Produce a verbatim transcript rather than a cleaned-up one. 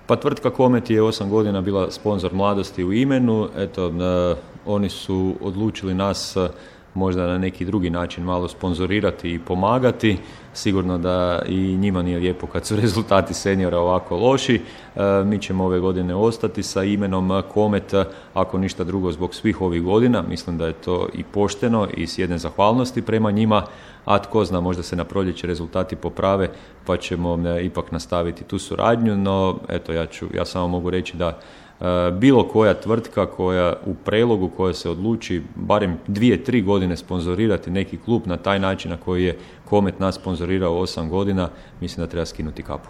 Pa tvrtka Komet je osam godina bila sponzor Mladosti u imenu. Eto, e, oni su odlučili nas e, možda na neki drugi način malo sponzorirati i pomagati. Sigurno da i njima nije lijepo kad su rezultati seniora ovako loši. E, mi ćemo ove godine ostati sa imenom Komet, ako ništa drugo zbog svih ovih godina. Mislim da je to i pošteno i s jedne zahvalnosti prema njima, a tko zna, možda se na proljeće rezultati poprave pa ćemo e, ipak nastaviti tu suradnju, no eto, ja, ću, ja samo mogu reći da e, bilo koja tvrtka koja u Prelogu koja se odluči barem dvije, tri godine sponzorirati neki klub na taj način na koji je Komet nas sponzorirao osam godina, mislim da treba skinuti kapu.